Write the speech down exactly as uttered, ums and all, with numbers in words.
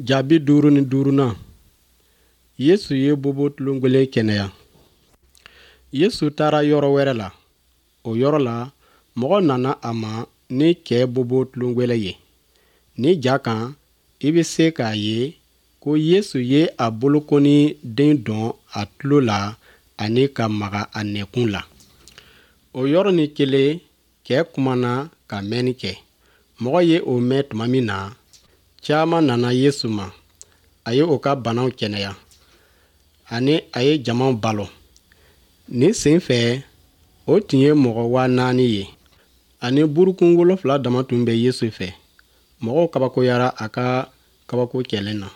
Jaabi duuru ni duurunan. Yesu ye bobo tulongwelen kɛnɛya. Yesu taara yɔrɔ wɛrɛ la. O yɔrɔ la, mɔgɔ nana a ma ni cɛ bobo tulongwɛlɛ ye. Ni ja kan, i bɛ se k'a ye ko Yesu ye a bolokɔni den dɔn a tulo la ani ka maga a nɛkun la. O yɔrɔnin kelen, cɛ kumana ka mɛnni kɛ. Mɔgɔ ye o mɛn tuma min na, caman nana Yesu ma. A ye o ka banaw kɛnɛya ani a ye jamaw balo. Nin sen fɛ, o tun ye mɔgɔ waa naani ye. Ani burukun wolonfila dama tun bɛ Yesu fɛ. Mɔgɔw kabakoyara a ka kabako kɛlen na.